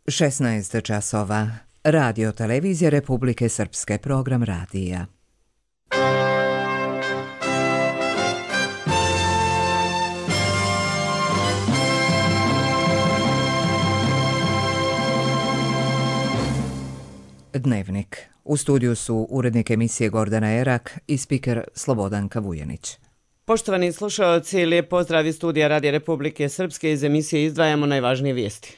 16 časova. Radio Televizija Republike Srpske, program radija. Dnevnik. U studiju su urednik emisije Gordana Erak i spiker Slobodanka Vujanić. Poštovani slušalci, lijep pozdrav iz studija Radija Republike Srpske. Iz emisije izdvajamo najvažnije vijesti.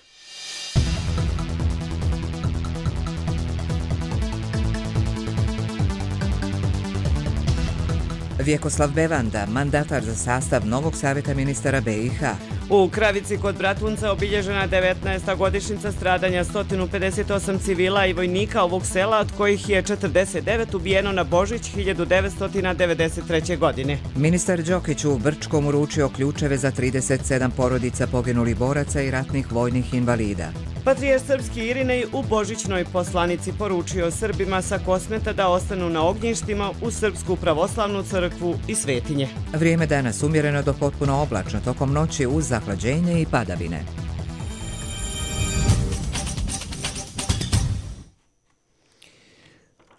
Vjekoslav Bevanda, mandatar za sastav novog savjeta ministara BiH. U Kravici kod Bratunca obilježena 19. godišnjica stradanja 158 civila i vojnika ovog sela, od kojih je 49 ubijeno na Božić 1993. godine. Ministar Đokić u Brčkom uručio ključeve za 37 porodica poginulih boraca i ratnih vojnih invalida. Patrijarh srpski Irinej u božićnoj poslanici poručio Srbima sa Kosmeta da ostanu na ognjištima u Srpsku pravoslavnu crkvu i svetinje. Vrijeme danas umjereno do potpuno oblačno, tokom noći uz zahlađenje i padavine.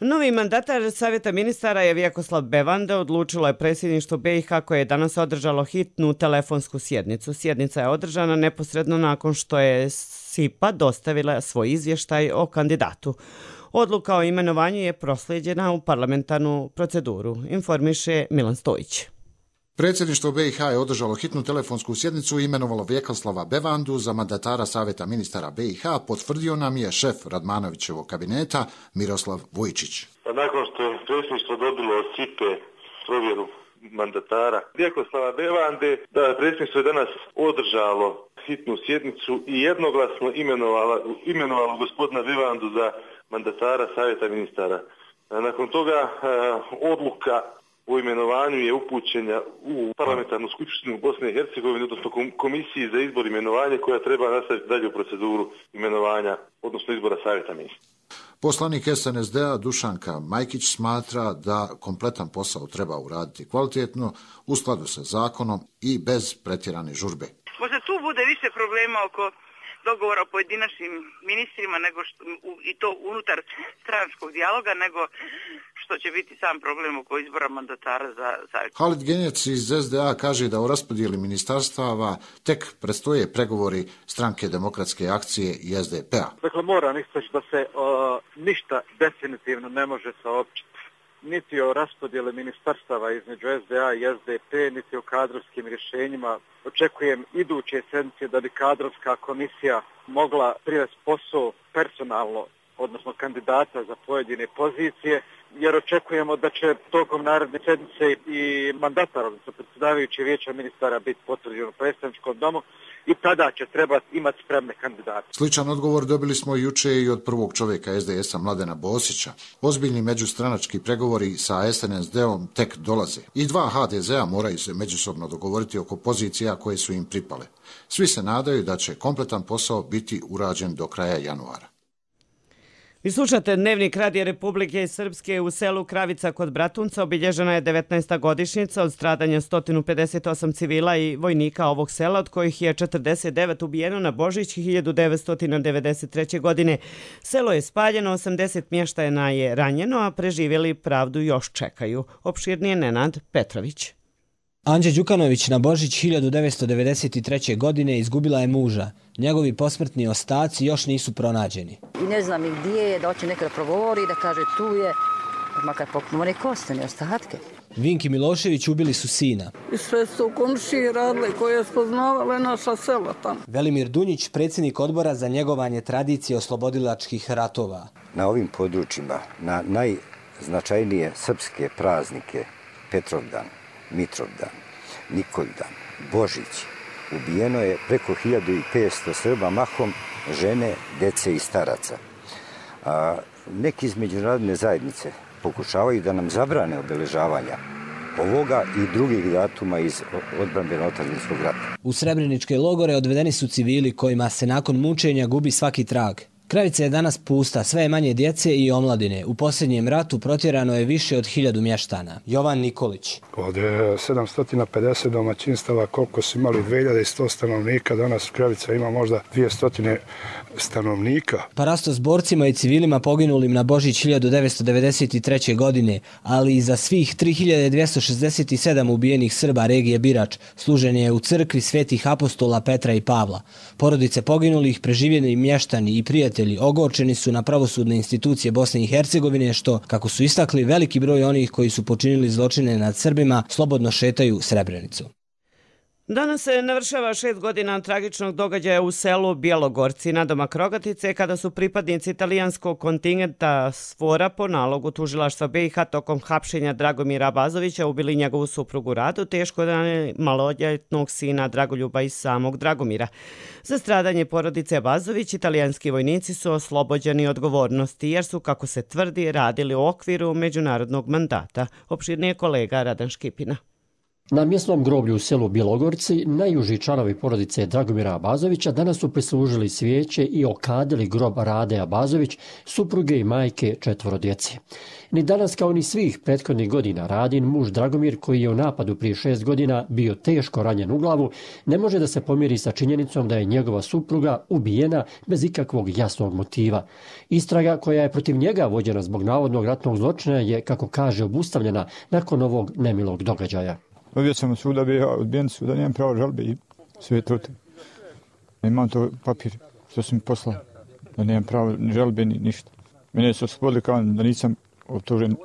Novi mandatar Savjeta ministara je Vjekoslav Bevanda, odlučilo je predsjedništvo BiH koje je danas održalo hitnu telefonsku sjednicu. Sjednica je održana neposredno nakon što je SIPA dostavila svoj izvještaj o kandidatu. Odluka o imenovanju je proslijeđena u parlamentarnu proceduru, informiše Milan Stojić. Predsjedništvo BiH je održalo hitnu telefonsku sjednicu i imenovalo Vjekoslava Bevandu za mandatara Savjeta ministara BiH, potvrdio nam je šef Radmanovićevog kabineta Miroslav Vujčić. Nakon što je predsjedništvo dobilo od SIPE provjeru mandatara Vjekoslava Bevande, da predsjedništvo je danas održalo hitnu sjednicu i jednoglasno imenovalo gospodina Bevandu za mandatara Savjeta ministara. Nakon toga odluka o imenovanju je upućena u parlamentarnu skupštinu Bosne i Hercegovine, odnosno komisiji za izbor imenovanja koja treba nastaviti dalje u proceduru imenovanja, odnosno izbora savjeta ministra. Poslanik SNSD-a Dušanka Majkić smatra da kompletan posao treba uraditi kvalitetno, u skladu sa zakonom i bez pretjerane žurbe. Možda tu bude više problema oko dogovora o pojedinačnim ministrima i to unutar stranačkog dijaloga nego što će biti sam problem oko izbora mandatara za savjet. Halid Genjec iz SDA kaže da o raspodjeli ministarstava tek predstoje pregovori Stranke demokratske akcije i SDP-a. Dakle, moram istaći da se ništa definitivno ne može saopćiti. Niti o raspodjeli ministarstava između SDA i SDP, niti o kadrovskim rješenjima. Očekujem iduće sedmice da bi kadrovska komisija mogla privesti posao personalno, odnosno kandidata za pojedine pozicije, jer očekujemo da će tokom naredne sedmice i mandatar, odnosno predsjedavajući vijeća ministara biti potvrđen u predstavničkom domu i tada će trebati imati spremne kandidate. Sličan odgovor dobili smo juče i od prvog čovjeka SDS-a Mladena Bosića. Ozbiljni međustranački pregovori sa SNSD-om tek dolaze. I dva HDZ-a moraju se međusobno dogovoriti oko pozicija koje su im pripale. Svi se nadaju da će kompletan posao biti urađen do kraja januara. Vi slušate Dnevnik Radija Republike Srpske. U selu Kravica kod Bratunca obilježena je 19. godišnjica od stradanja 158 civila i vojnika ovog sela, od kojih je 49 ubijeno na Božić 1993. godine. Selo je spaljeno, 80 mještajana je ranjeno, a preživjeli pravdu još čekaju. Opširnije Nenad Petrović. Anđe Đukanović na Božić 1993. godine izgubila je muža. Njegovi posmrtni ostaci još nisu pronađeni. I ne znam i gdje je, da hoće nekada progovori, da kaže tu je, makar pokupimo neke ostane, ostatke. Vinki Milošević ubili su sina. I sve su komšije radile koje spoznavale naša sela tamo. Velimir Dunjić, predsjednik odbora za njegovanje tradicije oslobodilačkih ratova. Na ovim područjima, na najznačajnije srpske praznike, Petrovdan, Mitrovdan, Nikoldan, Božić, ubijeno je preko 1500 Srba, mahom žene, dece i staraca. Neki iz međunarodne zajednice pokušavaju da nam zabrane obeležavanja ovoga i drugih datuma iz odbrambeno-otadžbinskog rata. U srebreničke logore odvedeni su civili kojima se nakon mučenja gubi svaki trag. Kravica je danas pusta, sve je manje djece i omladine. U posljednjem ratu protjerano je više od 1000 mještana. Jovan Nikolić. Od 750 domaćinstava, koliko su imali 2100 stanovnika, danas Kravica ima možda 200 stanovnika. Parasto s borcima i civilima poginulim na Božić 1993. godine, ali i za svih 3267 ubijenih Srba regije Birač, služen je u crkvi svetih apostola Petra i Pavla. Porodice poginulih, preživjeni mještani i prijatelji ogorčeni su na pravosudne institucije Bosne i Hercegovine, što, kako su istakli, veliki broj onih koji su počinili zločine nad Srbima slobodno šetaju Srebrenicu. Danas se navršava 6 godina tragičnog događaja u selu Bjelogorci nadomak Rogatice, kada su pripadnici italijanskog kontingenta SFOR-a po nalogu tužilaštva BiH tokom hapšenja Dragomira Abazovića ubili njegovu suprugu Radu, teško ranili maloljetnog sina Dragoljuba i samog Dragomira. Za stradanje porodice Abazović italijanski vojnici su oslobođeni odgovornosti jer su, kako se tvrdi, radili u okviru međunarodnog mandata. Opširnije kolega Radan Škipina. Na mjesnom groblju u selu Bjelogorci najuži članovi porodice Dragomira Abazovića danas su prislužili svijeće i okadili grob Rade Abazović, supruge i majke 4 djece. Ni danas kao ni svih prethodnih godina Radin muž Dragomir, koji je u napadu prije 6 godina bio teško ranjen u glavu, ne može da se pomiri sa činjenicom da je njegova supruga ubijena bez ikakvog jasnog motiva. Istraga koja je protiv njega vođena zbog navodnog ratnog zločina je, kako kaže, obustavljena nakon ovog nemilog događaja. Dobio sam suda, bio odbijen suda, nemam pravo žalbe i sve je to. Imam to papir što sam mi poslao, da nemam pravo ni žalbe ni ništa. Mene su oslobodili kao da nisam optužen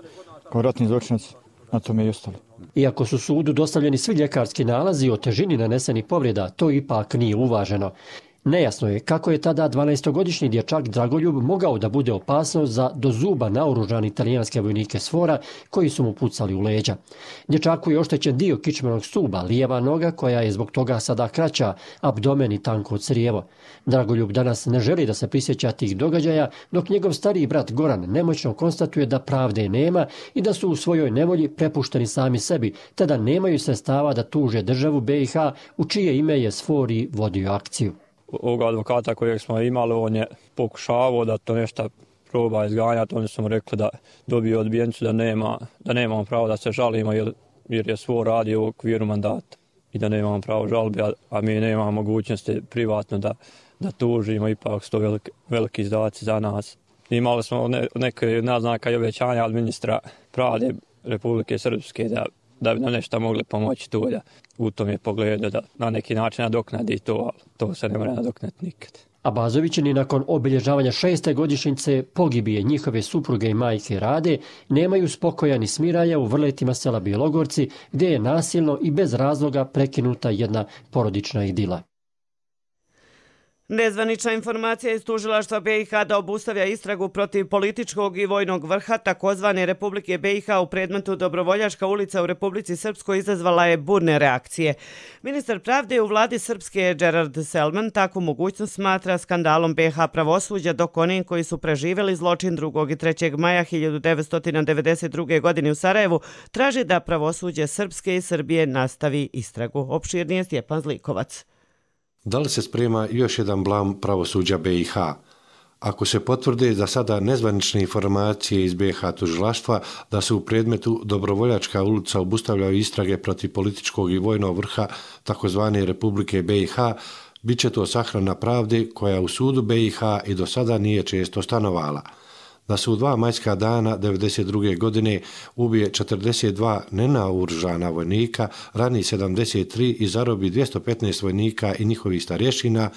kao ratni zločinac, na tome i ostalo. Iako su sudu dostavljeni svi ljekarski nalazi o težini nanesenih povreda, to ipak nije uvaženo. Nejasno je kako je tada 12-godišnji dječak Dragoljub mogao da bude opasnost za do zuba naoružani italijanske vojnike SFOR-a koji su mu pucali u leđa. Dječaku je oštećen dio kičmenog stuba, lijeva noga koja je zbog toga sada kraća, abdomen i tanko crijevo. Dragoljub danas ne želi da se prisjeća tih događaja, dok njegov stariji brat Goran nemoćno konstatuje da pravde nema i da su u svojoj nevolji prepušteni sami sebi, te da nemaju sredstava da tuže državu BiH u čije ime je SFOR i vodio akciju. Ovoga advokata kojeg smo imali, on je pokušavao da to nešto proba izganjati. Oni su mu rekli da dobije odbijencu, da nemamo pravo da se žalimo jer je SFOR radio u okviru mandata i da nemamo pravo žalbe, a mi nemamo mogućnosti privatno da tužimo, ipak su to veliki izdaci za nas. Imali smo neke naznaka i obećanja od ministra pravde Republike Srpske da bi nam nešto mogli pomoći tu, da u tom je pogledu da na neki način nadoknadi to, ali to se ne mora nadoknati nikad. Abazovićini nakon obilježavanja 6. godišnjice pogibije njihove supruge i majke Rade nemaju spokoja ni smiraja u vrletima sela Bjelogorci, gdje je nasilno i bez razloga prekinuta jedna porodična idila. Nezvanična informacija iz tužilaštva BiH da obustavlja istragu protiv političkog i vojnog vrha takozvane Republike BiH u predmetu Dobrovoljačka ulica u Republici Srpskoj izazvala je burne reakcije. Ministar pravde u vladi Srpske Gerard Selman takvu mogućnost smatra skandalom BiH pravosuđa, dok oni koji su preživjeli zločin 2. i 3. maja 1992. godine u Sarajevu traži da pravosuđe Srpske i Srbije nastavi istragu. Opširnije Stjepan Zlikovac. Da li se sprema još jedan blam pravosuđa BiH? Ako se potvrde da sada nezvanične informacije iz BiH tužilaštva da se u predmetu Dobrovoljačka ulica obustavljaju istrage protiv političkog i vojnog vrha takozvane Republike BiH, bit će to sahrana pravde koja u sudu BiH i do sada nije često stanovala. Da se u 2 majska dana 1992. godine ubije 42 nenaoružana vojnika, rani 73 i zarobi 215 vojnika i njihovih starješina,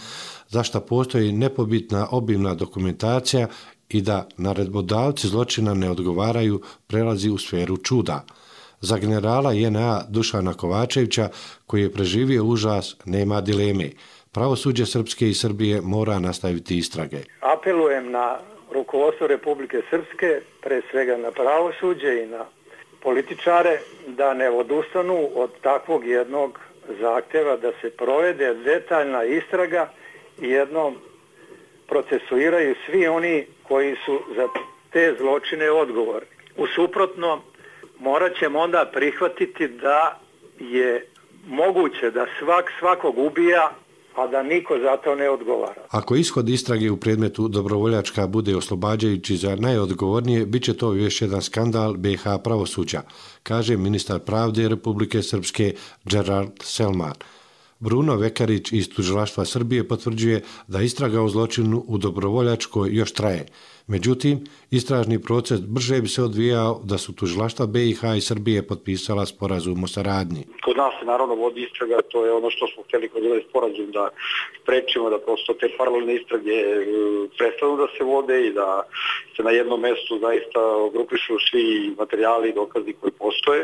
za što postoji nepobitna obimna dokumentacija i da naredbodavci zločina ne odgovaraju, prelazi u sferu čuda. Za generala JNA Dušana Kovačevića, koji je preživio užas, nema dileme. Pravosuđe Srpske i Srbije mora nastaviti istrage. Apelujem na rukovodstvo Republike Srpske, pre svega na pravosuđe i na političare, da ne odustanu od takvog jednog zahtjeva da se provede detaljna istraga i jednom procesuiraju svi oni koji su za te zločine odgovorni. U suprotno, morat ćemo onda prihvatiti da je moguće da svakog ubija a da niko za to ne odgovara. Ako ishod istrage u predmetu Dobrovoljačka bude oslobađajući za najodgovornije, bit će to još jedan skandal BiH pravosuđa, kaže ministar pravde Republike Srpske Gerard Selman. Bruno Vekarić iz Tužilaštva Srbije potvrđuje da istraga o zločinu u Dobrovoljačkoj još traje. Međutim, istražni proces brže bi se odvijao da su tužilaštva BiH i Srbije potpisala sporazum o saradnji. Kod nas se naravno vodi istraga, to je ono što smo htjeli kod ovaj sporazum da sprečimo, da prosto te paralelne istrage prestanu da se vode i da se na jednom mjestu zaista ogrupišu svi materijali i dokazi koji postoje,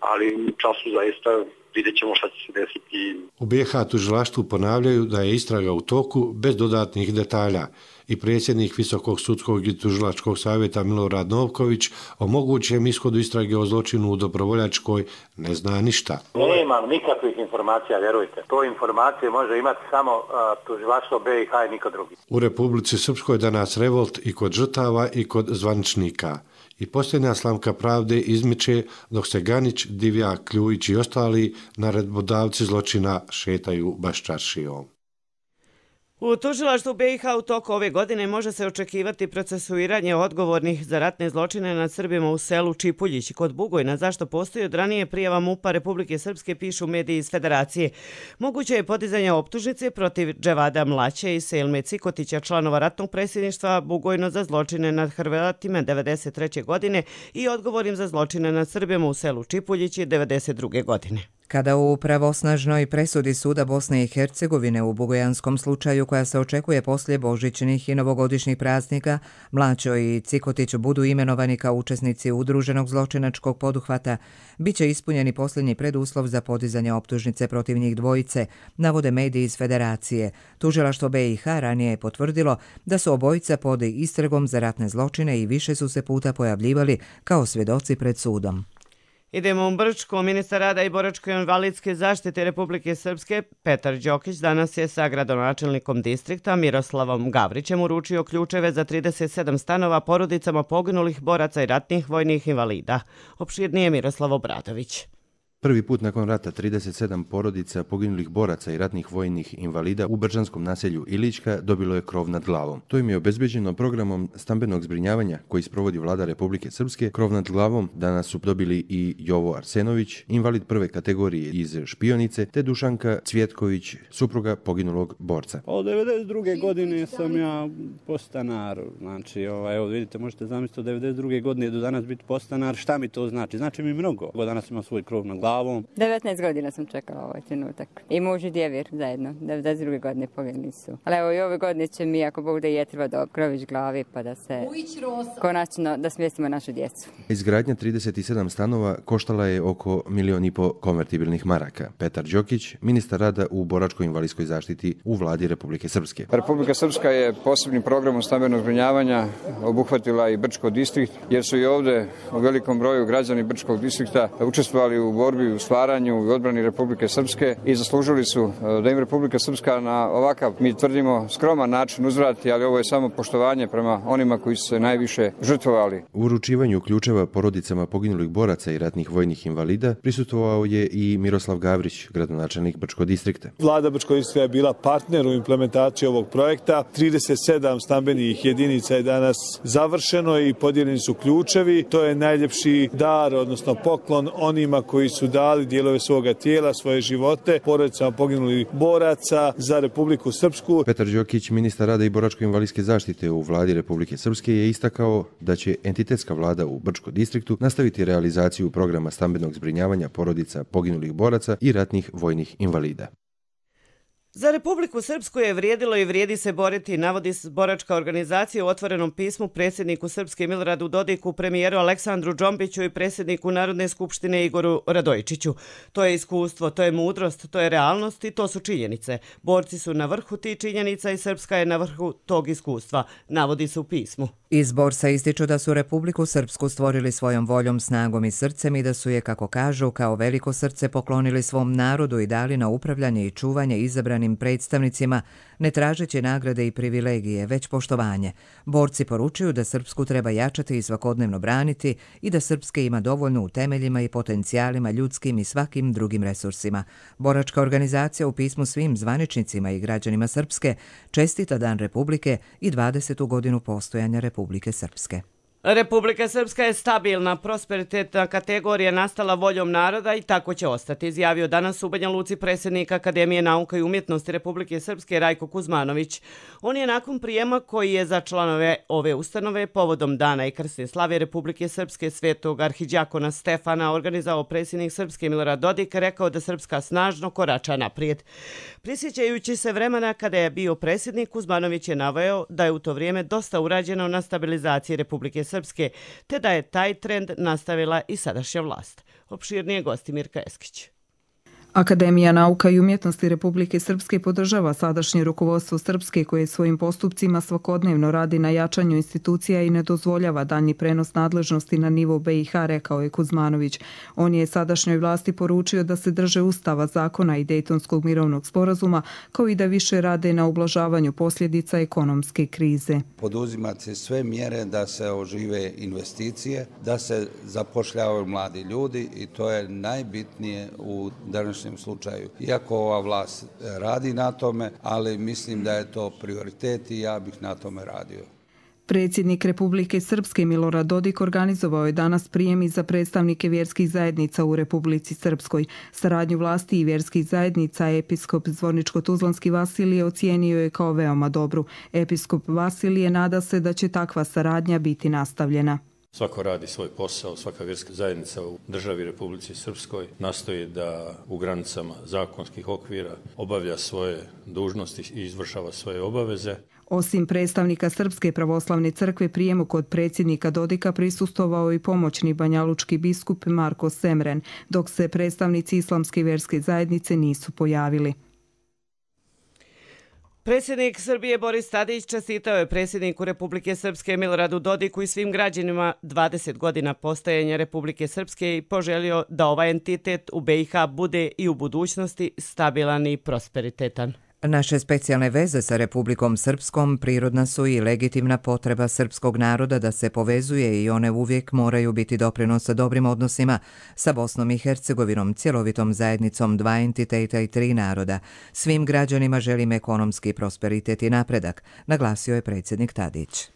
ali u času zaista vidjet ćemo šta će se desiti. U BiH tužilaštvu ponavljaju da je istraga u toku bez dodatnih detalja i predsjednik Visokog sudskog i tužilačkog savjeta Milorad Novković o mogućem ishodu istrage o zločinu u Dobrovoljačkoj ne zna ništa. Nemam nikakvih informacija, vjerujte. To informacije može imati samo tužilaštvo BiH i niko drugi. U Republici Srpskoj danas revolt i kod žrtava i kod zvaničnika. I posljednja slamka pravde izmiče dok se Ganić, Divjak, Kljujić i ostali naredbodavci zločina šetaju baščaršijom. U tužilaštvu BiH u toku ove godine može se očekivati procesuiranje odgovornih za ratne zločine nad Srbima u selu Čipuljić kod Bugojna, zašto postoji od ranije prijava MUP-a Republike Srpske, pišu mediji iz Federacije. Moguće je podizanje optužnice protiv Dževada Mlaće i Selme Cikotića, članova ratnog predsjedništva Bugojno za zločine nad Hrvatima 1993. godine i odgovornim za zločine nad Srbima u selu Čipuljić 1992. godine. Kada u pravosnažnoj presudi Suda Bosne i Hercegovine u bugojanskom slučaju koja se očekuje poslije božićnih i novogodišnjih praznika, Mlaćo i Cikotić budu imenovani kao učesnici udruženog zločinačkog poduhvata, bit će ispunjeni posljednji preduslov za podizanje optužnice protiv njih dvojice, navode mediji iz Federacije. Tužilaštvo BiH ranije je potvrdilo da su obojica pod istragom za ratne zločine i više su se puta pojavljivali kao svjedoci pred sudom. Idemo u Brčko. Ministar rada i boračko-invalidske zaštite Republike Srpske Petar Đokić danas je sa gradonačelnikom distrikta Miroslavom Gavrićem uručio ključeve za 37 stanova porodicama poginulih boraca i ratnih vojnih invalida. Opširnije Miroslav Obradović. Prvi put nakon rata 37 porodica poginulih boraca i ratnih vojnih invalida u brčanskom naselju Ilićka dobilo je krov nad glavom. To im je obezbeđeno programom stambenog zbrinjavanja koji sprovodi Vlada Republike Srpske. Krov nad glavom danas su dobili i Jovo Arsenović, invalid prve kategorije iz Špionice, te Dušanka Cvjetković, supruga poginulog borca. Od 1992. godine sam ja podstanar. Znači, evo vidite, možete zamisliti od 1992. godine do danas biti podstanar. Šta mi to znači? Znači mi mnogo. Danas imam svoj krov nad glavom. 19 godina sam čekala ovaj trenutak. I muž i djevir zajedno. 92. godine poginuli su. Ali evo i ove godine će mi, ako Bog da je treba do krović glavi, pa da se konačno da smjestimo našu djecu. Izgradnja 37 stanova koštala je oko 1,5 miliona konvertibilnih maraka. Petar Đokić, ministar rada u boračko-invalidskoj zaštiti u Vladi Republike Srpske. Republika Srpska je posebnim programom stambenog zbrinjavanja obuhvatila i Brčko distrikt, jer su i ovdje u velikom broju građani Brčkog distrikta učestvovali u borbi, u stvaranju i odbrani Republike Srpske i zaslužili su da im Republika Srpska na ovakav, mi tvrdimo, skroman način uzvrati, ali ovo je samo poštovanje prema onima koji su se najviše žrtvovali. U uručivanju ključeva porodicama poginulih boraca i ratnih vojnih invalida prisustvovao je i Miroslav Gavrić, gradonačelnik Brčkog distrikta. Vlada Brčkog distrikta je bila partner u implementaciji ovog projekta. 37 stambenih jedinica je danas završeno i podijeljeni su ključevi. To je najljepši dar, odnosno poklon onima koji su dali dijelove svoga tijela, svoje živote, porodicama poginulih boraca za Republiku Srpsku. Petar Đokić, ministar rada i boračko-invalidske zaštite u Vladi Republike Srpske, je istakao da će entitetska vlada u Brčkom distriktu nastaviti realizaciju programa stambenog zbrinjavanja porodica poginulih boraca i ratnih vojnih invalida. Za Republiku Srpsku je vrijedilo i vrijedi se boriti, navodi boračka organizacija u otvorenom pismu predsjedniku Srpske Miloradu Dodiku, premijeru Aleksandru Džombiću i predsjedniku Narodne skupštine Igoru Radojičiću. To je iskustvo, to je mudrost, to je realnost i to su činjenice. Borci su na vrhu tih činjenica i Srpska je na vrhu tog iskustva, navodi se u pismu. Iz Borsa ističu da su Republiku Srpsku stvorili svojom voljom, snagom i srcem i da su je, kako kažu, kao veliko srce poklonili svom narodu i dali na upravljanje i čuvanje izabranim predstavnicima, ne tražeći nagrade i privilegije, već poštovanje. Borci poručuju da Srpsku treba jačati i svakodnevno braniti i da Srpske ima dovoljno u temeljima i potencijalima ljudskim i svakim drugim resursima. Boračka organizacija u pismu svim zvaničnicima i građanima Srpske čestita Dan Republike i 20. godinu postojanja Republike Srpske. Republika Srpska je stabilna, prosperitetna kategorija nastala voljom naroda i tako će ostati, izjavio danas u Banja Luci predsjednik Akademije nauka i umjetnosti Republike Srpske Rajko Kuzmanović. On je nakon prijema koji je za članove ove ustanove povodom Dana i krsne slave Republike Srpske svetog arhidjakona Stefana organizao predsjednik Srpske Milorad Dodik rekao da Srpska snažno korača naprijed. Prisjećajući se vremena kada je bio predsjednik, Kuzmanović je naveo da je u to vrijeme dosta urađeno na stabilizaciji Republike Srpske, te da je taj trend nastavila i sadašnja vlast. Opširnije gosti Mirka Eskić. Akademija nauka i umjetnosti Republike Srpske podržava sadašnje rukovodstvo Srpske koje svojim postupcima svakodnevno radi na jačanju institucija i ne dozvoljava daljnji prenos nadležnosti na nivo BiH, rekao je Kuzmanović. On je sadašnjoj vlasti poručio da se drže Ustava, zakona i Dejtonskog mirovnog sporazuma, kao i da više rade na ublažavanju posljedica ekonomske krize. Poduzimati se sve mjere da se ožive investicije, da se zapošljavaju mladi ljudi i to je najbitnije u današnjem slučaju. Iako ova vlast radi na tome, ali mislim da je to prioritet i ja bih na tome radio. Predsjednik Republike Srpske Milorad Dodik organizovao je danas prijem i za predstavnike vjerskih zajednica u Republici Srpskoj. Saradnju vlasti i vjerskih zajednica episkop Zvorničko-Tuzlanski Vasilije ocijenio je kao veoma dobru. Episkop Vasilije nada se da će takva saradnja biti nastavljena. Svako radi svoj posao, svaka vjerska zajednica u državi Republici Srpskoj nastoji da u granicama zakonskih okvira obavlja svoje dužnosti i izvršava svoje obaveze. Osim predstavnika Srpske pravoslavne crkve, prijemu kod predsjednika Dodika prisustvovao i pomoćni banjalučki biskup Marko Semren, dok se predstavnici Islamske vjerske zajednice nisu pojavili. Predsjednik Srbije Boris Tadić čestitao je predsjedniku Republike Srpske Miloradu Dodiku i svim građanima 20 godina postojanja Republike Srpske i poželio da ovaj entitet u BiH bude i u budućnosti stabilan i prosperitetan. Naše specijalne veze sa Republikom Srpskom prirodna su i legitimna potreba srpskog naroda da se povezuje i one uvijek moraju biti doprinos sa dobrim odnosima sa Bosnom i Hercegovinom, cjelovitom zajednicom dva entiteta i tri naroda. Svim građanima želim ekonomski prosperitet i napredak, naglasio je predsjednik Tadić.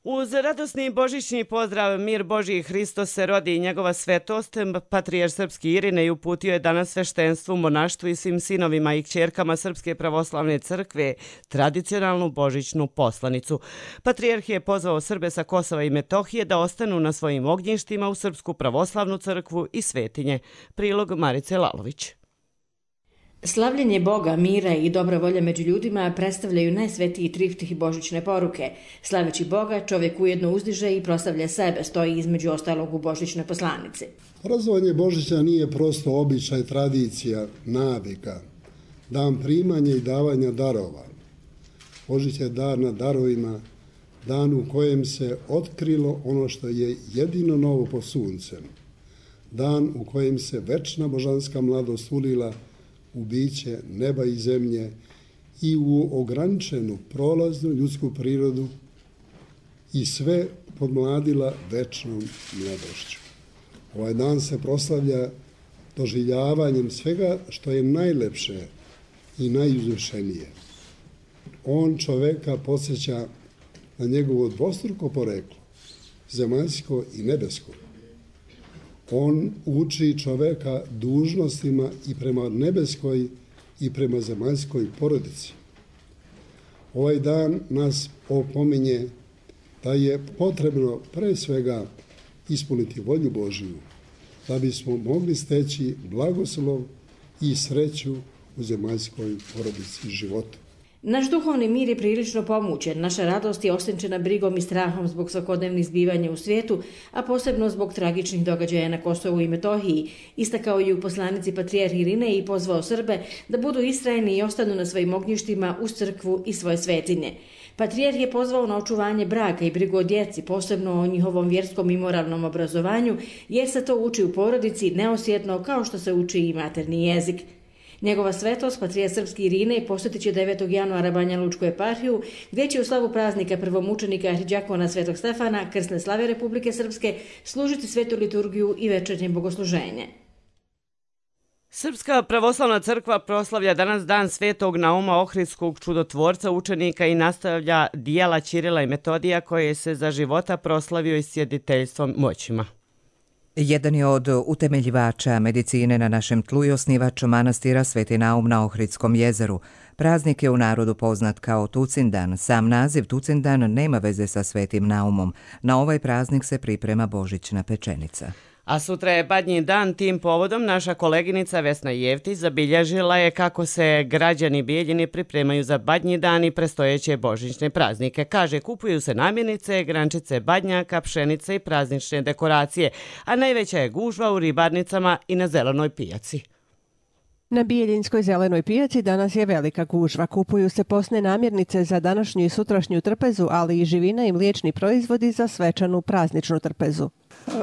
Uz radosni božićni pozdrav Mir Božji Hristos se rodi i njegova svetost, patrijarh srpski Irinej uputio je danas sveštenstvu, monaštvu i svim sinovima i kćerkama Srpske pravoslavne crkve tradicionalnu božićnu poslanicu. Patrijarh je pozvao Srbe sa Kosova i Metohije da ostanu na svojim ognjištima u Srpsku pravoslavnu crkvu i svetinje. Prilog Marice Lalović. Slavljenje Boga, mira i dobra volja među ljudima predstavljaju najsvetiji triftih i božićne poruke. Slaveći Boga, čovjek ujedno uzdiže i proslavlja sebe, stoji između ostalog u božićnoj poslanici. Praznovanje Božića nije prosto običaj, tradicija, navika, dan primanja i davanja darova. Božić je dar na darovima, dan u kojem se otkrilo ono što je jedino novo pod suncem. Dan u kojem se večna božanska mladost ulila u biće neba i zemlje i u ograničenu prolaznu ljudsku prirodu i sve podmladila večnom mladošću. Ovaj dan se proslavlja doživljavanjem svega što je najlepše i najuzvišenije. On čoveka podsjeća na njegovo dvostruko poreklo, zemaljsko i nebesko. On uči čoveka dužnostima i prema nebeskoj i prema zemaljskoj porodici. Ovaj dan nas opominje da je potrebno pre svega ispuniti volju Božiju, da bismo mogli steći blagoslov i sreću u zemaljskoj porodici i životu. Naš duhovni mir je prilično pomućen, naša radost je osenčena brigom i strahom zbog svakodnevnih zbivanja u svijetu, a posebno zbog tragičnih događaja na Kosovu i Metohiji, istakao je u poslanici patrijarh Irinej i pozvao Srbe da budu istrajni i ostanu na svojim ognjištima uz crkvu i svoje svetinje. Patrijarh je pozvao na očuvanje braka i brigu o djeci, posebno o njihovom vjerskom i moralnom obrazovanju, jer se to uči u porodici neosjetno kao što se uči i materni jezik. Njegova svetost, patrijarh srpski Irine, posjetit će 9. januara Banja Lučku eparhiju, gdje će u slavu praznika prvomučenika arhidžakona Svetog Stefana, krsne slave Republike Srpske, služiti svetu liturgiju i večernje bogosluženje. Srpska pravoslavna crkva proslavlja danas dan Svetog Nauma Ohridskog čudotvorca, učenika i nastavlja dijela Ćirila i Metodija koje se za života proslavio i sjediteljstvom moćima. Jedan je od utemeljivača medicine na našem tlu i osnivač manastira Sveti Naum na Ohridskom jezeru. Praznik je u narodu poznat kao Tucindan. Sam naziv Tucindan nema veze sa Svetim Naumom. Na ovaj praznik se priprema božićna pečenica. A sutra je Badnji dan, tim povodom naša koleginica Vesna Jevtić zabilježila je kako se građani Bijeljine pripremaju za Badnji dan i prestojeće božićne praznike. Kaže, kupuju se namirnice, grančice badnjaka, pšenice i praznične dekoracije, a najveća je gužva u ribarnicama i na zelenoj pijaci. Na Bijeljinskoj zelenoj pijaci danas je velika gužva. Kupuju se posne namirnice za današnju i sutrašnju trpezu, ali i živina i mliječni proizvodi za svečanu prazničnu trpezu.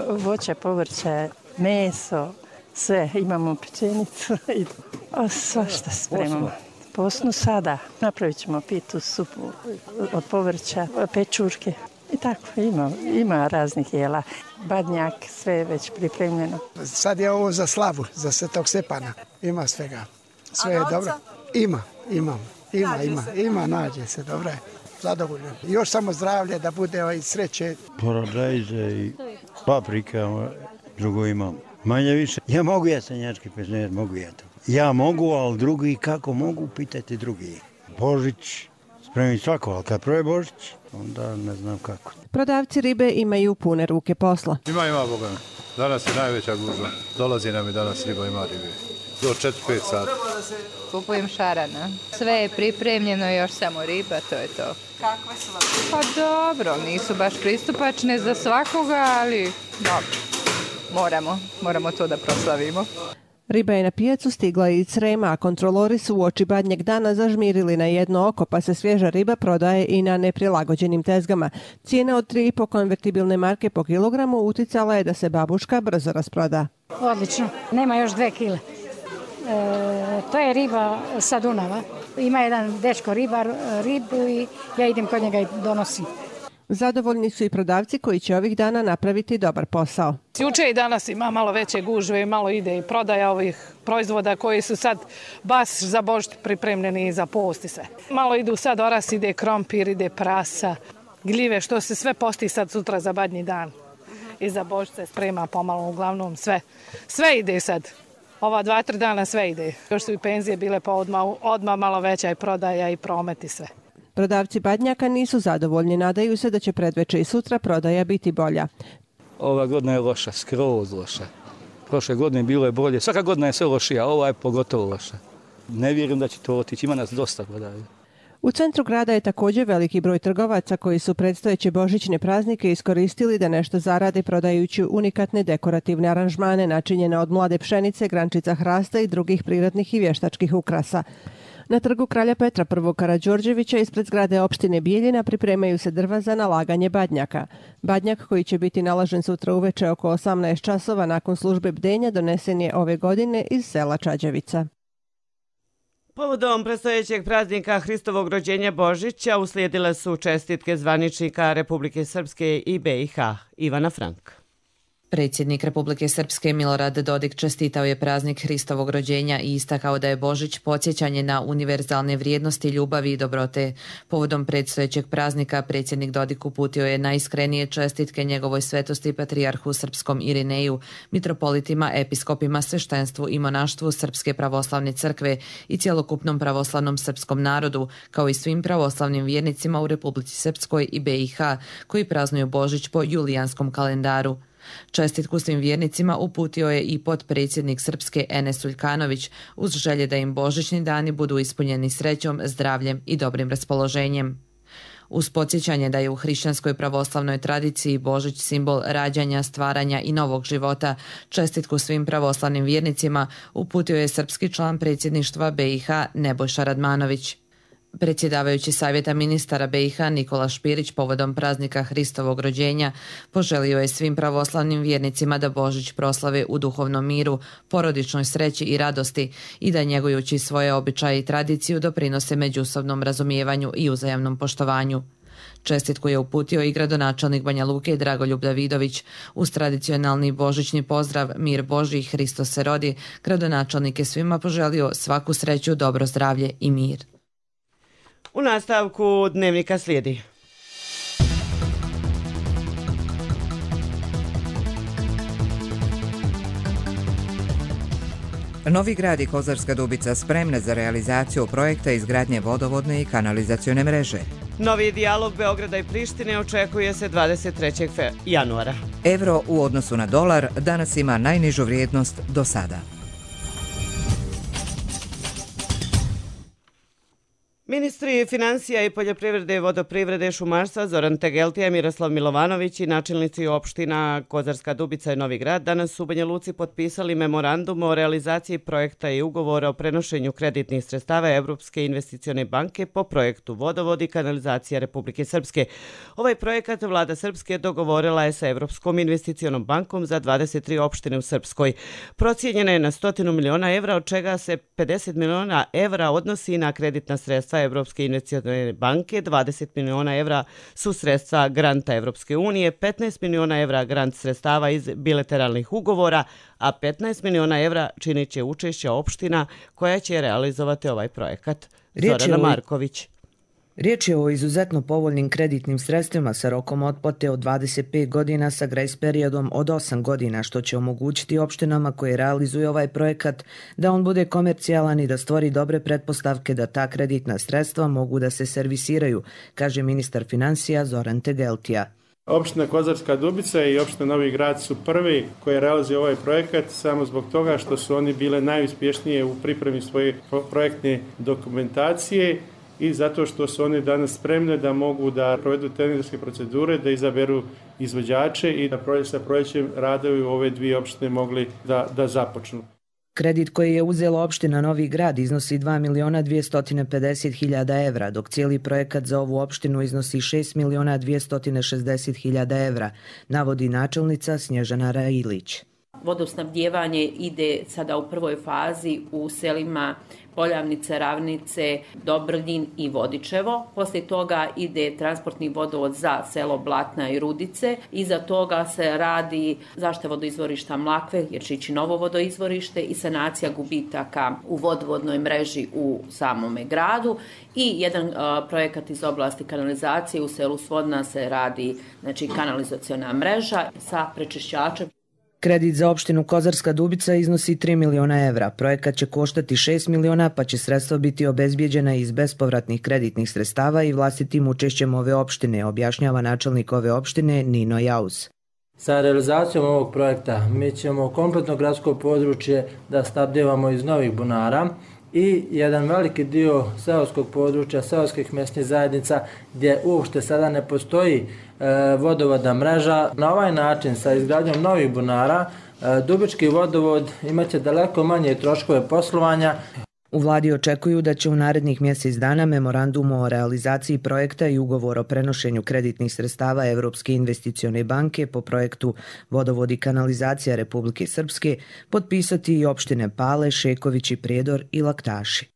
Voće, povrće, meso, sve. Imamo pečenicu i svašta spremamo. Posnu sada. Napravit ćemo pitu, supu od povrća, pečurke. I tako, ima raznih jela. Badnjak, sve je već pripremljeno. Sad je ovo za slavu, za Svetog Stepana. Ima svega. Sve je dobro. Ima, nađe se, dobro je. Zadovoljno. Još samo zdravlje da bude i sreće. Paradajze i paprika, drugo imam. Manje više. Ja mogu jesenjački pečenje, mogu ja to. Ja mogu, ali drugi kako mogu, pitajte drugi. Božić, spremim svako, ali kad prve Božić, onda ne znam kako. Prodavci ribe imaju pune ruke posla. Ima, Boga. Danas je najveća gužva. Dolazi nam i danas riba, ima ribe. Do 4-5 sati. Kupujem šarana. Sve je pripremljeno, još samo riba, to je to. Kakve su vam? Pa dobro, nisu baš pristupačne za svakoga, ali dobro, moramo to da proslavimo. Riba je na pijacu stigla iz Srema, a kontrolori su uoči Badnjeg dana zažmirili na jedno oko, pa se svježa riba prodaje i na neprilagođenim tezgama. Cijena od 3,5 konvertibilne marke po kilogramu uticala je da se babuška brzo rasproda. Odlično, nema još 2 kile. To je riba sa Dunava. Ima jedan dečko ribar ribu i ja idem kod njega i donosim. Zadovoljni su i prodavci koji će ovih dana napraviti dobar posao. Juče i danas ima malo veće gužve i malo ide i prodaja ovih proizvoda koji su sad baš za Božić pripremljeni i za post i sve. Malo idu sad oras, ide krompir, ide prasa, gljive, što se sve posti sad sutra za Badnji dan. I za Božić se sprema pomalo, uglavnom sve. Sve ide sad. Ova 2-3 dana sve ide. Još su i penzije bile pa odmah malo veća i prodaja i promet i sve. Prodavci badnjaka nisu zadovoljni, nadaju se da će predveče i sutra prodaja biti bolja. Ova godina je loša, skroz loša. Prošle godine bilo je bolje, svaka godina je sve lošija, ova je pogotovo loša. Ne vjerujem da će to otići, ima nas dosta prodaje. U centru grada je također veliki broj trgovaca koji su predstojeće božićne praznike iskoristili da nešto zarade prodajući unikatne dekorativne aranžmane načinjene od mlade pšenice, grančica hrasta i drugih prirodnih i vještačkih ukrasa. Na trgu Kralja Petra I. Karađorđevića ispred zgrade opštine Bijeljina pripremaju se drva za nalaganje badnjaka. Badnjak koji će biti nalažen sutra uveče oko 18 časova nakon službe bdenja donesen je ove godine iz sela Čađevica. Povodom predstojećeg praznika Hristovog rođenja Božića uslijedile su čestitke zvaničnika Republike Srpske i BiH. Ivana Frank. Predsjednik Republike Srpske Milorad Dodik čestitao je praznik Hristovog rođenja i istakao da je Božić podsjećanje na univerzalne vrijednosti ljubavi i dobrote. Povodom predstojećeg praznika predsjednik Dodik uputio je najiskrenije čestitke njegovoj svetosti patrijarhu srpskom Irineju, mitropolitima, episkopima, sveštenstvu i monaštvu Srpske pravoslavne crkve i cjelokupnom pravoslavnom srpskom narodu, kao i svim pravoslavnim vjernicima u Republici Srpskoj i BiH koji praznuju Božić po julijanskom kalendaru. Čestitku svim vjernicima uputio je i potpredsjednik Srpske Enes Uljkanović uz želje da im božićni dani budu ispunjeni srećom, zdravljem i dobrim raspoloženjem. Uz podsjećanje da je u hrišćanskoj pravoslavnoj tradiciji Božić simbol rađanja, stvaranja i novog života, čestitku svim pravoslavnim vjernicima uputio je srpski član predsjedništva BiH Nebojša Radmanović. Predsjedavajući Savjeta ministara BiH Nikola Špirić povodom praznika Hristovog rođenja poželio je svim pravoslavnim vjernicima da Božić proslave u duhovnom miru, porodičnoj sreći i radosti i da njegujući svoje običaje i tradiciju doprinose međusobnom razumijevanju i uzajamnom poštovanju. Čestitku je uputio i gradonačelnik Banja Luke Dragoljub Davidović. Uz tradicionalni božićni pozdrav Mir Božji, Hristos se rodi, gradonačelnik je svima poželio svaku sreću, dobro zdravlje i mir. U nastavku dnevnika slijedi. Novi Grad i Kozarska Dubica spremne za realizaciju projekta izgradnje vodovodne i kanalizacione mreže. Novi dijalog Beograda i Prištine očekuje se 23. januara. Evro u odnosu na dolar danas ima najnižu vrijednost do sada. Ministri financija i poljoprivrede, vodoprivrede, šumarstva Zoran Tegeltija, Miroslav Milovanović i načelnici opština Kozarska Dubica i Novi Grad danas u Banja Luci potpisali memorandum o realizaciji projekta i ugovora o prenošenju kreditnih sredstava Evropske investicione banke po projektu Vodovod i kanalizacija Republike Srpske. Ovaj projekat vlada Srpske dogovorila je sa Evropskom investicionom bankom za 23 opštine u Srpskoj. Procijenjena je na 100 miliona evra, od čega se 50 miliona evra odnosi na kreditna sredstva Evropske investicione banke, 20 miliona evra su sredstva granta Evropske unije, 15 miliona evra grant sredstava iz bilateralnih ugovora, a 15 miliona evra činit će učešća opština koja će realizovati ovaj projekat. Zorana Marković. Riječ je o izuzetno povoljnim kreditnim sredstvima sa rokom otplate od 25 godina sa grace periodom od 8 godina, što će omogućiti opštinama koje realizuju ovaj projekat da on bude komercijalan i da stvori dobre pretpostavke da ta kreditna sredstva mogu da se servisiraju, kaže ministar financija Zoran Tegeltija. Opština Kozarska Dubica i opština Novi Grad su prvi koji realizuju ovaj projekat samo zbog toga što su oni bile najuspješnije u pripremi svoje projektne dokumentacije i zato što su oni danas spremne da mogu da provedu tenderske procedure, da izaberu izvođače i da sa prolećem radovi u ove dvije opštine mogli da započnu. Kredit koji je uzela opština Novi Grad iznosi 2.250.000 evra, dok cijeli projekat za ovu opštinu iznosi 6.260.000 evra, navodi načelnica Snježana Railić. Vodosnabdijevanje ide sada u prvoj fazi u selima Poljavnice, Ravnice, Dobrljin i Vodičevo. Poslije toga ide transportni vodovod za selo Blatna i Rudice. Iza toga se radi zaštita vodoizvorišta Mlakve, jer će ići novo vodoizvorište i sanacija gubitaka u vodovodnoj mreži u samome gradu. I jedan projekat iz oblasti kanalizacije u selu Svodna se radi, znači kanalizaciona mreža sa prečišćačem. Kredit za opštinu Kozarska Dubica iznosi 3 miliona evra. Projekat će koštati 6 miliona, pa će sredstva biti obezbijeđena iz bespovratnih kreditnih sredstava i vlastitim učešćem ove opštine, objašnjava načelnik ove opštine Nino Jaus. Sa realizacijom ovog projekta mi ćemo kompletno gradsko područje da snabdijevamo iz novih bunara i jedan veliki dio seoskog područja, seoskih mjesnih zajednica gdje uopšte sada ne postoji vodovodna mreža. Na ovaj način sa izgradnjom novih bunara Dubički vodovod imaće daleko manje troškove poslovanja. U vladi očekuju da će u narednih mjesec dana memorandum o realizaciji projekta i ugovor o prenošenju kreditnih sredstava Evropske investicione banke po projektu Vodovod i kanalizacija Republike Srpske potpisati i opštine Pale, Šeković i Prijedor i Laktaši.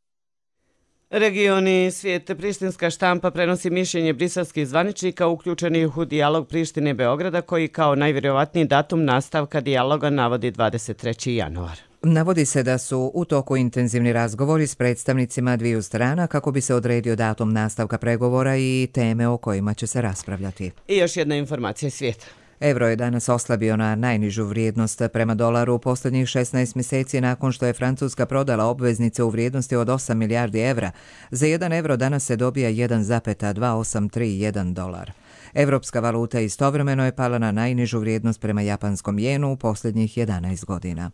Regioni svijete prištinska štampa prenosi mišljenje briselskih zvaničnika uključenih u dijalog Prištine Beograda koji kao najvjerojatniji datum nastavka dijaloga navodi 23. januar. Navodi se da su u toku intenzivni razgovori s predstavnicima dviju strana kako bi se odredio datum nastavka pregovora i teme o kojima će se raspravljati. I još jedna informacija iz svijeta. Evro je danas oslabio na najnižu vrijednost prema dolaru u posljednjih 16 mjeseci nakon što je Francuska prodala obveznice u vrijednosti od 8 milijardi evra. Za 1 evro danas se dobija 1,2831 dolar. Evropska valuta istovremeno je pala na najnižu vrijednost prema japanskom jenu u posljednjih 11 godina.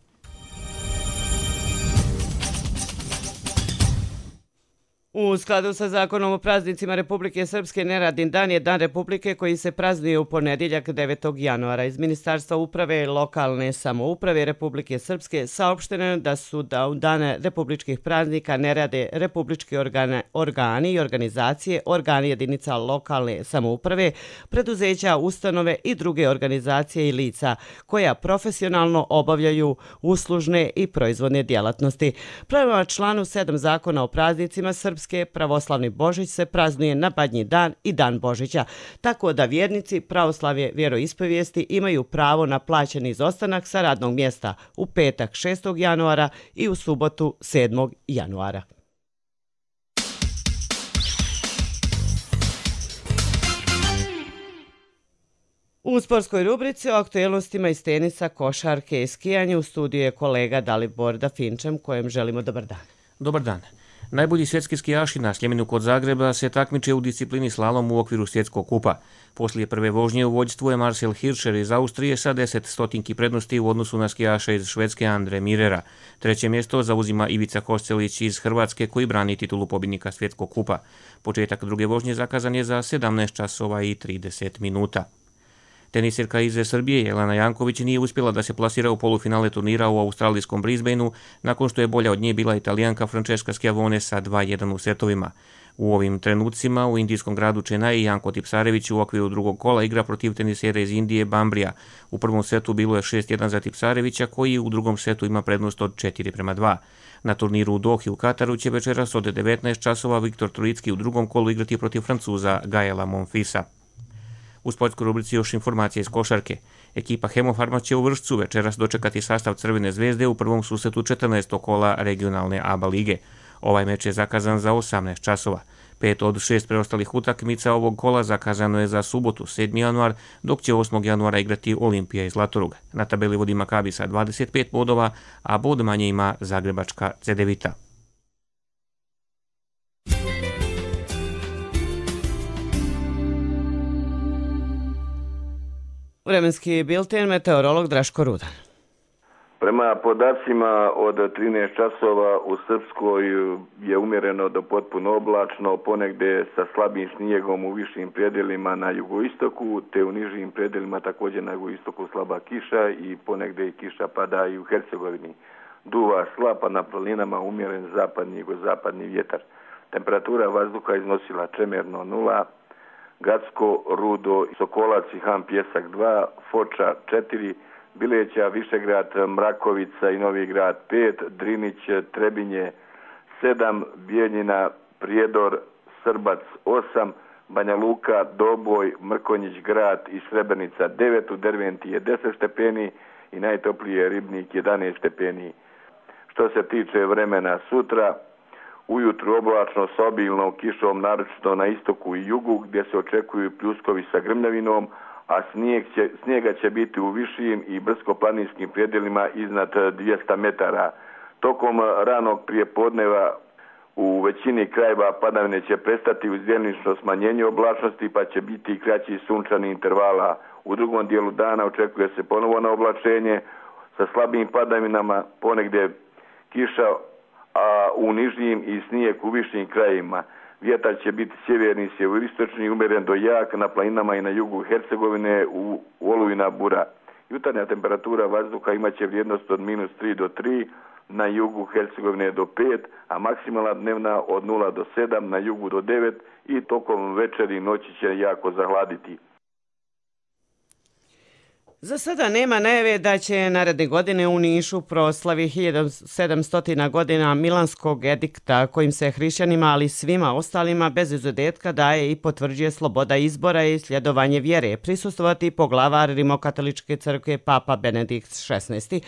U skladu sa zakonom o praznicima Republike Srpske, neradni dan je Dan Republike koji se praznuje u ponedjeljak 9. januara. Iz Ministarstva uprave i lokalne samouprave Republike Srpske saopšteno da su da u dane republičkih praznika ne rade republički organi i organizacije, organi jedinica lokalne samouprave, preduzeća, ustanove i druge organizacije i lica koja profesionalno obavljaju uslužne i proizvodne djelatnosti. Prema članu 7 zakona o praznicima Srpske, pravoslavni Božić se praznuje na Badnji dan i Dan Božića, tako da vjernici pravoslavlje vjeroispovijesti imaju pravo na plaćeni izostanak sa radnog mjesta u petak 6. januara i u subotu 7. januara. U sportskoj rubrici o aktuelnostima iz tenisa, košarke i skijanju u studiju je kolega Dalibor Dafinčem, kojem želimo dobar dan. Dobar dan. Najbolji svjetski skijaši na Sljemenu kod Zagreba se takmiče u disciplini slalom u okviru svjetskog kupa. Poslije prve vožnje u vođstvu je Marcel Hirscher iz Austrije sa 10 stotinki prednosti u odnosu na skijaša iz Švedske Andre Mirera. Treće mjesto zauzima Ivica Koscelić iz Hrvatske koji brani titulu pobjednika svjetskog kupa. Početak druge vožnje zakazan je za 17 časova i 30 minuta. Tenisirka iz Srbije Jelena Janković nije uspjela da se plasira u polufinale turnira u australijskom Brisbaneu nakon što je bolja od nje bila Italijanka Francesca Schiavone sa 2-1 u setovima. U ovim trenucima u indijskom gradu Chennai Janko Tipsarević u okviru drugog kola igra protiv tenisera iz Indije Bambrija. U prvom setu bilo je 6-1 za Tipsarevića koji u drugom setu ima prednost od 4-2. Na turniru u Dohi u Kataru će večeras od 19 časova Viktor Trojicki u drugom kolu igrati protiv Francuza Gaela Monfilsa. U sportskoj rubrici još informacije iz košarke. Ekipa Hemofarma će u Vršcu večeras dočekati sastav Crvene zvezde u prvom susretu 14. kola regionalne ABA lige. Ovaj meč je zakazan za 18 časova. 5 od 6 preostalih utakmica ovog kola zakazano je za subotu 7. januar, dok će 8. januara igrati Olimpija i Zlatorug. Na tabeli vodi Makabi sa 25 bodova, a bod manje ima zagrebačka Cedevita. Vremenski bilten, meteorolog Draško Rudan. Prema podacima od 13 časova u Srpskoj je umjereno do potpuno oblačno, ponegdje sa slabim snijegom u višim predjelima na jugoistoku, te u nižim predjelima također na jugoistoku slaba kiša i ponegdje i kiša pada i u Hercegovini. Duva slab, a na planinama umjeren zapadni i jugozapadni vjetar. Temperatura vazduha iznosila čemerno 0, Gacko, Rudo, Sokolac i Ham Pjesak 2, Foča 4, Bileća, Višegrad, Mrakovica i Novi Grad 5, Drinić, Trebinje 7, Bijeljina, Prijedor, Srbac 8, Banja Luka, Doboj, Mrkonjić Grad i Srebrenica 9, u Derventi je 10 stepeni i najtopliji je Ribnik 11 stepeni. Što se tiče vremena sutra, ujutru oblačno s obilnom kišom, naročito na istoku i jugu, gdje se očekuju pljuskovi sa grmljavinom, a snijega će biti u višim i brdsko-planinskim predjelima iznad 200 metara. Tokom ranog prijepodneva u većini krajeva padavine će prestati uz djelomično smanjenje oblačnosti, pa će biti i kraći sunčani intervala. U drugom dijelu dana očekuje se ponovo na oblačenje sa slabim padavinama, ponegdje kiša, a u nižim i snijeg u višim krajevima. Vjetar će biti sjeverni, sjeveroistočni, umjeren do jak na planinama i na jugu Hercegovine u olujna bura. Jutarnja temperatura vazduha imaće vrijednost od -3 do 3, na jugu Hercegovine do 5, a maksimalna dnevna od 0 do 7, na jugu do 9 i tokom večeri i noći će jako zahladiti. Za sada nema najave da će naredne godine u Nišu proslavi 1700 godina Milanskog edikta kojim se hrišćanima, ali svima ostalima bez izuzetka daje i potvrđuje sloboda izbora i sljedovanje vjere, prisustvovati poglavar Rimokatoličke crkve Papa Benedikt XVI.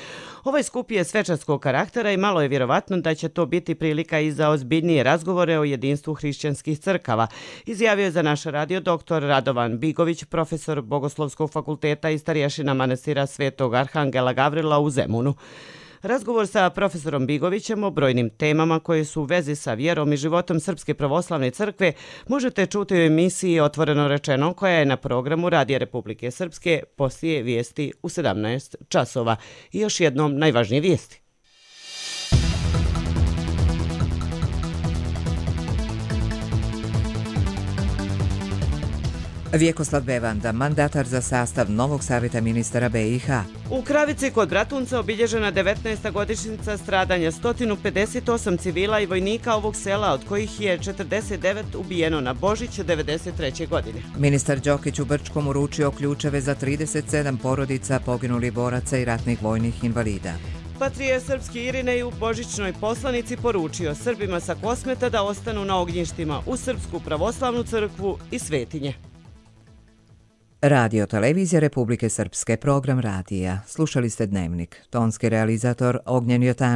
Ovaj skup je svečarskog karaktera i malo je vjerovatno da će to biti prilika i za ozbiljnije razgovore o jedinstvu hrišćanskih crkava, izjavio je za naš radio dr. Radovan Bigović, profesor Bogoslovskog fakulteta i starješina manastira Svetog Arhangela Gavrila u Zemunu. Razgovor sa profesorom Bigovićem o brojnim temama koje su u vezi sa vjerom i životom Srpske pravoslavne crkve možete čuti u emisiji Otvoreno rečeno koja je na programu Radija Republike Srpske poslije vijesti u 17 časova. I još jednom najvažnije vijesti. Vjekoslav Bevanda, mandatar za sastav novog savjeta ministara BiH. U Kravici kod Bratunca obilježena 19. godišnjica stradanja 158 civila i vojnika ovog sela, od kojih je 49 ubijeno na Božić 1993. godine. Ministar Đokić u Brčkom uručio ključeve za 37 porodica poginulih boraca i ratnih vojnih invalida. Patrije srpski Irinej u božićnoj poslanici poručio Srbima sa Kosmeta da ostanu na ognjištima u Srpsku pravoslavnu crkvu i svetinje. Radio Televizija Republike Srpske, program radija. Slušali ste Dnevnik. Tonski realizator Ognjen Jotanović.